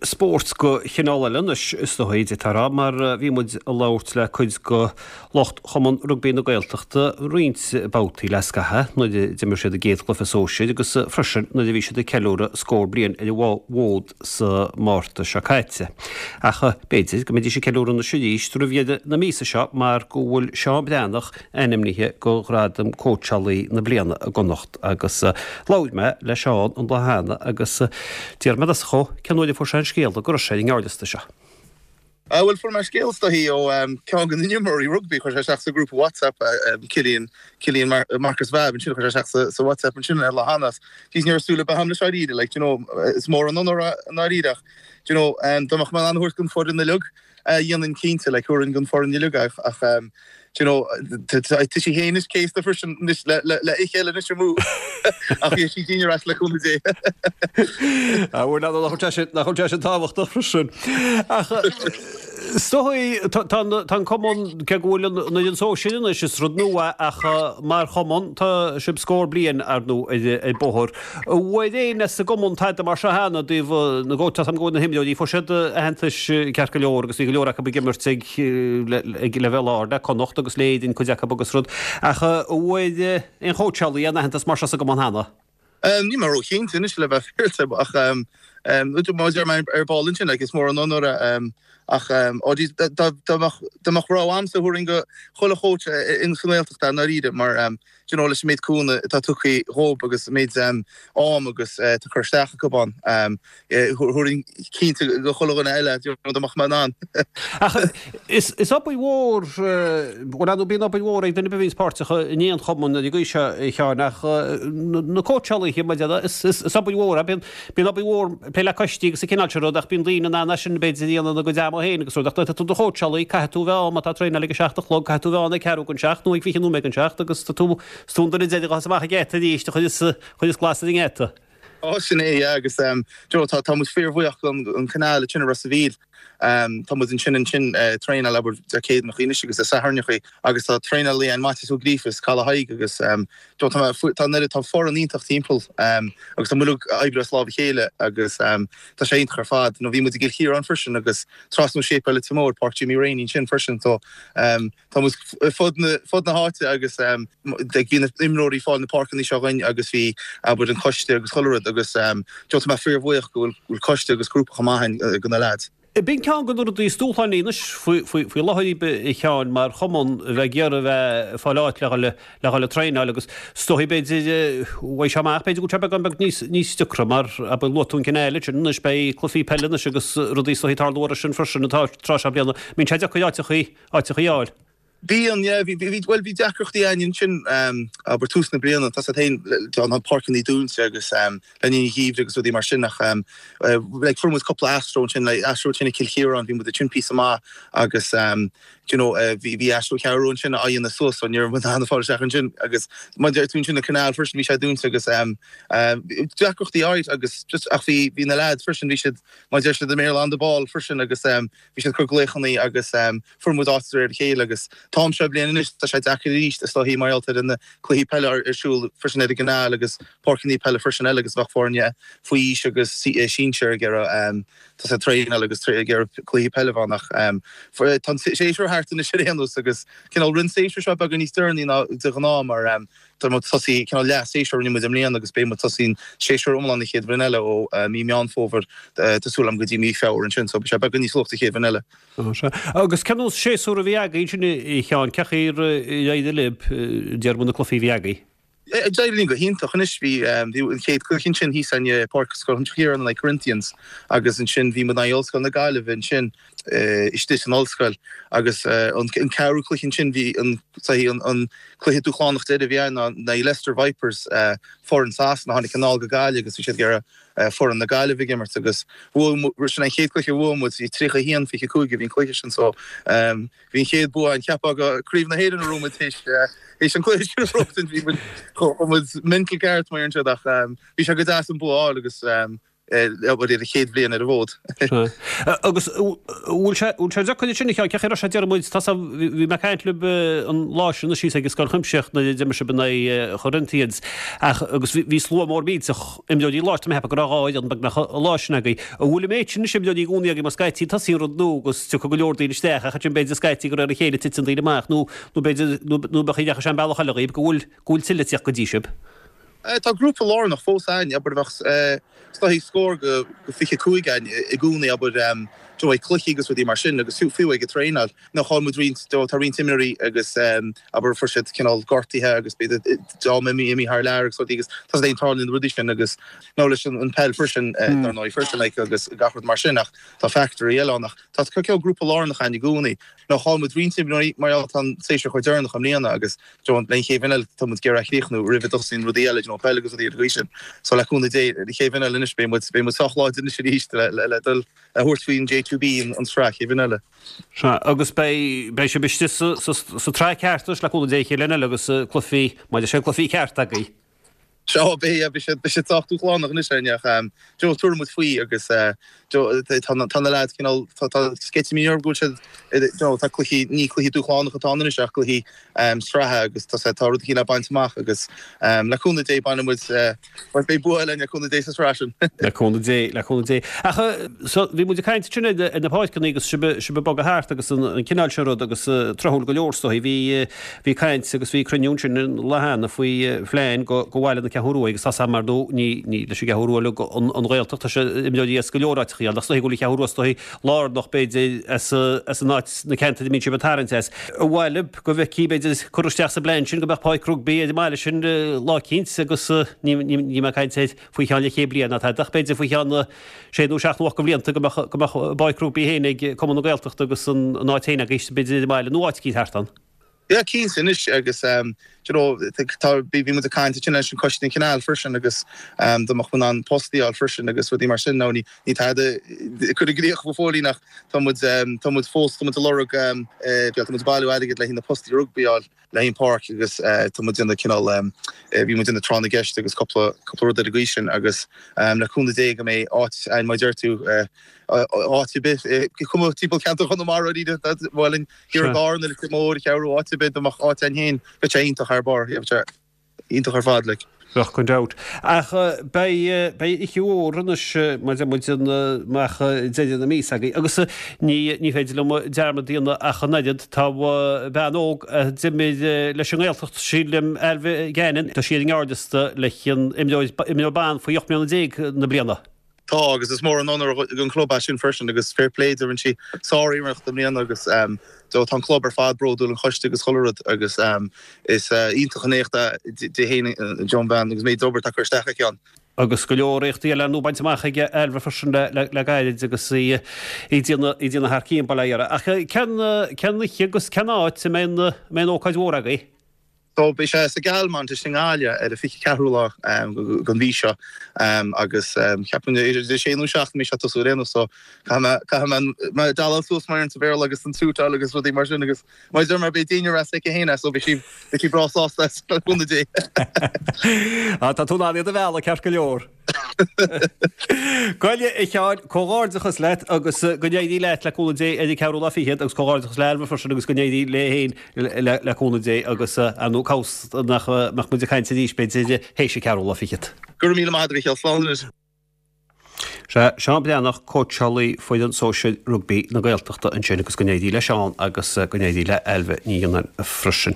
spóirt de chineál eile anois is dóigh, d'fhéadfá a rá, mar bhí muid ag labhairt le cuid de lucht Chumann Rugbaí na Gaeltachta roinnt babhtaí le scaitheamh nuair a d'imir siad a gcéad chluiche sóisir agus freisin nuair a bhí siad ag ceiliúradh scór bliain ar an bhfód sa Márta seo caite. Ach b'fhéidir go mbeidís ag ceiliúradh anois arís roimh dheireadh na míosa seo mar go bhfuil Seán Breathnach ainmnithe do Ghradam Cóitseálaí na Bliana i gConnacht agus labhair mé le Seán an lá cheana agus d'iarr mé i dtosach dhó cén uair a fuair sé an scéala go raibh sé ar an ngearrliosta seo. Ah bhuel fuair mé scéal is dóichí ó ceann de na himreoirí rugbaí, chuir sé isteach sa ghrúpa WhatsApp Cillian, Cillian Marcus Vabb ansin, chuir sé isteach sa WhatsApp ansin ar lá cheana. Jeez ní raibh súil ar bith agam leis dáiríre, like do you know is mór an onóir é i ndáiríre ach do you know dá mbeadh mé in ann a thabhairt don foireann uilig dhéanfainn cinnte, like thabharfainn don foireann uilig é ach do you know tá sí féin anois céasta freisin anois le le oíche eile anois amú ach beidh sí dínn ar ais le cúnamh Dé. Ah bhuel nach bhfuil sé sin nach bhfuil sé sin tábhachtach freisin. Ach is dóigh tá tá an tá an cumann cé go bhfuil an an fhoireann sóisir anois is rud nua ach mar chumann tá sibh scór bliain ar ndóigh ar ar bóthar. An bhfuair éinne sa gcumann tada mar seo cheana i dtaobh na gcóitseáil? Tá a fhios agam go bhfuil na himreoirí, fuair siad aitheantais ceart go leor agus bhí go leor acu ag imirt ag ag leibhéal ard le Connacht agus le Éirinn cuid acu agus rud. Ach an bhfuair aon chóitseálaí aon aitheantas mar seo sa gcumann cheana? Níl mé róchinnte anois le bheith féaráilte ach mar a deir mé ar ball ansin like is mór an onóir é ach oh geez dá mbeadh dá mbeadh rogha a'msa thabharfainn go chuile chóits in sa nGaeltacht é i ndáiríre mar do you know, leis an méid cúnamh atá tugtha dhób agus an méid am agus atá curtha isteach acu ann, thabharfainn cinnte go chuile dhuine eile, do you know, dá mbeadh mé in ann. Ach is obair mhór, bhuel, ar ndóigh bíonn obair mhór ag duine ar bith a bhíonns páirteach in aon chumann ar an gcaoi seo, a Sheáin, ach na cóitseálaithe, mar a déarfá, is obair mhór é, bíonn Bíonn obair mhór ag plé le coistí agus an cineál sin rud ach bíonn daoine in ann é sin b'fhéidir a dhéanamh ina gcuid ama féin agus rud ach nuair atá tú i do chóitseálaí caithfidh tú a bheith ann má tá traenáil ag a 7 a chlog caithfidh tú a bheith ann ag ceathrú don seacht nó ag 20 nóiméad don seacht agus tá tú is tú an duine deiridh a ghabhfas amach an geata arís a chuireas a chuireas glas ar an ngeata. Ó sin é yeah agus do you know tá tá muid fíorbhuíoch don an canal ansin i Ros a' Mhíl. Tá muid ansin ansin ag traenáil abair Dé Céadaoineachaí anois agus Dé Sathairneachaí agus tá traenálaí ann Maitias Ó Gríofa as Caladh Thaidhg agus tá mé tá an oiread tá foireann iontach timpeall agus tá muid uilig ag oibriú as lámh a chéile agus tá sé iontach ar fad. Nó bhí muid i gCill Chiaráin freisin agus trasna ó Séipéal Leitir Móir, Páirc Jimmy Rainey ansin freisin so Tá muid fud na fud na háite agus bhí na imreoirí ag fáil na páirceanna seo againn agus bhí abair an coiste agus chuile rud agus tá mé fíorbhuíoch go bhfuil coiste agus grúpa chomh maith againn do na leaids. B'in ceann de na rudaí is dúshlánaí anois faoi láthair a Sheáin mar chumann a bheith ag iarraidh a bheith ag fáil áit le dhul le dhul ag traenáil agus is dóigh b'fhéidir uaidh seo amach b'fhéidir go bhfuil sé beagán beag níos níos deacra mar abair luaigh tú an cineál sin anois beidh cluichí peile anois agus rudaí is dóigh ag tarlú orthu sin freisin an tráth seo bliana. Mbíonn sé deacair áiteachaí áiteachaí a fháil. Bíonn, yeah. Bhí, bhí, bhuel, bhí deacrachtaí againn ansin, abair tús na bliana, tá a fhios agat féin, tá na páirceanna dúnta agus le linn an gheimhridh agus rudaí mar sin ach like fuair muid cúpla astro ansin, like astro ansin i Cill Chiaráin, bhí muid ansin píosa maith agus do you know bhí, bhí astro cheathrú ansin á dhéanamh suas so ní raibh muid in ann fáil isteach ansin agus mar a deir tú ansin an canal freisin bhí sé dúnta agus deacrachtaí áirid agus just ach bhí, bhí na lads freisin, bhí siad, mar a deir siad i mBéarla on the ball freisin agus Bhí siad ag cur glaochannaí agus fuair muid áit de réir a chéile agus an t-am seo bliain anois tá sé deacair arís is dóichí mar gheall ar na cluichí peile ar siúl freisin ar an gcanáil agus páirceanna peile freisin eile agus bheadh foirne faoi aois agus sinsir ag iarraidh tá sé traenáil agus ag iarraidh cluichí peile a bheith ann ach tá an séasúr thart anois ar aon nós agus cineál rinne an séasúr seo beagán níos deireanaí ná de ghnáth mar Tá muid tosaí cineál leath séasúr a rinne muid i mbliana agus beidh muid tosaí an séasúr iomlán an chéad bhliain eile ó mí Meán Fómhair tá súil agam go dtí mí Feabhra ansin so beidh sé beagán níos luaithe an chéad bhliain eile. Sea. Agus cén nós séasúr a bhí agaibh ansin a Sheáin? Cén chaoi ar éirigh libh déarfaidh muid na cluichí a bhí agaibh? D'éirigh linn go hiontach anois. Bhí an chéad cluiche ansin thíos i bPáirc Scoil Chiaráin in aghaidh Corinthians agus ansin bhí muid in aghaidh Ollscoil na Gaillimhe ansin. istigh san ollscoil agus an ceathrú cluiche ansin bhí an an cluiche dúshlánach deiridh a bhí ann ná in aghaidh Leicester Vipers, foireann Sasana a tháinig anall go Gaillimh agus bhí siad ag iarraidh foireann na Gaillimhe ag imirt agus bhuaigh muid, sin an chéad cluiche a bhuaigh muid, bhí 31, 25 a bhí an cluiche sin so bhí an chéad bua ann, cheapfá go Craobh na hÉireann a raibh muid théis an cluiche sin a bhuachtaint, bhí muid, chuaigh muid mental ceart mar sin ach bhí sé go deas an bua a fháil agus. Abair ar a chéad bhliain ar an bhfód. Agus bhfuil sé bhfuil sé deacair sin a cheann, cén chaoi a raibh sé déarfaidh muid, tá bhí mé ag caint libh an lá sin síos ag an Scoil Chuimsitheach nuair a d'imir sibh in aghaidh Chorinthians ach agus bhí slua mór millteach imreoirí lá, tá mé ag ceapadh go raibh 12 fhoireann beagnach an lá sin agaibh. An bhfuil an méid sin anois imreoirí i gcónaí agaibh mar scaití tosaíonn rud nua agus tiocfaidh go leor daoine isteach ach ansin b'fhéidir scaití de réir a chéile titeann daoine amach nó nó b'fhéidir nó nó bheadh a ndeachaigh sé an bealach eile dhaoibh go bhfuil go bhfuil tuilleadh ag tíocht go dtí sibh. Tá grúpa lárnach fós againn, abair, bheadh is dóigh scór go 25 againn i gcónaí, abair, you know, ag cluichí agus rudaí mar sin agus fiú ag an traenáil. Now chaill muid roinnt, you know, tá roinnt imreoirí agus, abair, fuair siad cineál gortaithe agus b'fhéidir dream imithe thar lear agus rudaí agus tá sé tarlaíonn na rudaí sin agus now leis an peil freisin, dar ndóigh freisin, like, agus gach rud mar sin ach tá factoirí eile ann ach tá cineál grúpa lárnach againn i gcónaí. Now chaill muid roinnt imreoirí mar gheall tá an séasúr chomh deireanach i mbliana agus do you know an chéad bhliain eile tá muid ag iarraidh a chríochnú roimh a dtosaíonn rudaí eile, you know peil agus rudaí ar an gcaoi sin. So le cúnamh Dé, an chéad bhliain eile anois beidh muid beidh muid sách láidir anois arís le le le dul a thabhairt faoin J2B an tsraith chéad bhliain eile. Sea, agus beidh beidh sibh istigh sa sa sa tsraith ceart anois le cúnamh Dé an chéad bhliain eile agus cluichí maidir sé cluichí ceart agaibh. Sea, beidh, beidh sé, beidh sé sách dúshlánach anois, ar ndóigh, ach do you know, tabharfaidh muid faoi agus do you know, tá na, tá na leaids cineál, tá, tá sceitimíní orthu go bhfuil siad, do you know, tá cluichí, ní cluichí dúshlánach atá ann anois ach cluichí sraithe agus tá sé, tá rud eicínt le baint amach agus le cúnamh Dé bainfidh muid, beidh bua eile againn le cúnamh Dé sa tsraith sin. Le cúnamh Dé, le cúnamh Dé. Ach so, bhí muid ag caint ansin ar na páirceanna agus sibh, sibh ag bogadh thart agus an cineál sin rud agus tráthúil go leor is dóigh, bhí, Bhí caint agus bhí cruinniú ansin an lá cheana faoi phlean go bhaile na Ceathrún Rua agus tá 's agam ar ndóigh ní ní leis an gCeathrú Rua uilig an Ghaeltacht tá sé imreoirí as go leor áiteachaí ann ach is dóigh go bhfuil an Cheathrú Rua is dóigh lárnach b'fhéidir as as an áit na ceantair a mbíonn sibh ag tarraingt as. Ar mhaith libh go bhfeicfí b'fhéidir cur isteach sa bplean sin go mbeadh páirc rugbaí ar an mbaile sin lá eicínt agus ní ní ní mé ag caint ar faoi cheann leathchéad bliain ná tada ach b'fhéidir faoi cheann sé nó seacht nó ocht de bhlianta go mbeadh go mbeadh a bpáirc rugbaí féin ag Cumann na Gaeltachta agus an an áit féin agaibh b'fhéidir ar an mbaile nó áit eicínt thart ann. Yeah cinnte anois agus do you know tá bhí muid ag caint ansin leis an Coiste an Canal freisin agus dá mbeadh muid in ann postaí a fháil freisin agus rudaí mar sin now ní ní tada curtha i gcrích go fóillín ach tá muid tá muid fós tá muid ag lorg tá muid ag bailiú airgid le haghaidh na postaí rugbaí a fháil le haghaidh an páirc agus tá muid ag déanamh cineál bhí muid ag déanamh tráth na gceist agus cúpla cúpla rud ar an gcaoi sin agus le cúnamh Dé go mbeidh áit againn mar a deir tú áit ar bith cuma timpeall ceantar Chonamara bhuel in Thiar i gCarna, Leitir Móir, Cheathrú áit ar bith dá mbeadh áit againn féin bheadh sé iontach thar barr bheadh sé iontach ar fad like. Bheadh gan dabht. Ach beidh beidh oíche mhór anois mar deir muid amach deireadh na míosa agaibh agus ní ní féidir liom dearmad a dhéanamh ach an oiread tá bean óg a d'imir leis an nGaeltacht sílim Ailbhe Gannon tá sí ar an ngearrliosta leis an imreoir imreoir ban faoi 18 mbliana na bliana. Tá, agus is mór an onóir don chlub é sin freisin agus fair play di, rinne sí sár-iarracht i mbliana agus tá an club ar fad bródúil, an choiste agus chuile rud agus is iontach an éacht é di féin an bhean agus méid obair atá curtha isteach aici ann. Agus go leor éachtaí eile ar ndóigh bainte amach ag Ailbhe freisin le gairid agus í ag déanamh thar cionn, bail ó Dhia uirthi. Ach cén oíche agus cén áit a mbeidh an ócáid mhór agaibh? So beidh sé sa Galmont istigh i nGaillimh ar an 24ú lá den mhí seo agus ceapaim idir a sé nó 7 a mbeidh sé ag tosú ar aon nós so caithfidh mé caithfidh mé mé dealáil suas mar sa Bhéarla agus an suit a fháil agus rudaí mar sin agus mar a deir mé beidh Dina ras aici féin so beidh sí beidh sí breá sásta as le cúnamh Dé. Ah tá tú in ann iad a mhealladh ceart go leor. Bhuel a Sheáin, comhghairdeachas leat agus go n-éirí leat le cúnamh Dé ar an ceathrú lá fichead agus comhghairdeachas le Ailbhe freisin agus go n-éirí léi féin le cúnamh Dé agus ar ndóigh cá bhfios nach mbeadh muid ag caint arís b'fhéidir théis an ceathrú lá fichead. Go raibh míle maith agat a Mhícheál, slán anois. Sea, Seán Breathnach, cóitseálaí foireann sóisir rugbaí na Gaeltachta ansin agus go n-éirí le Seán agus go n-éirí le Ailbhe Ní Ghionnáin freisin.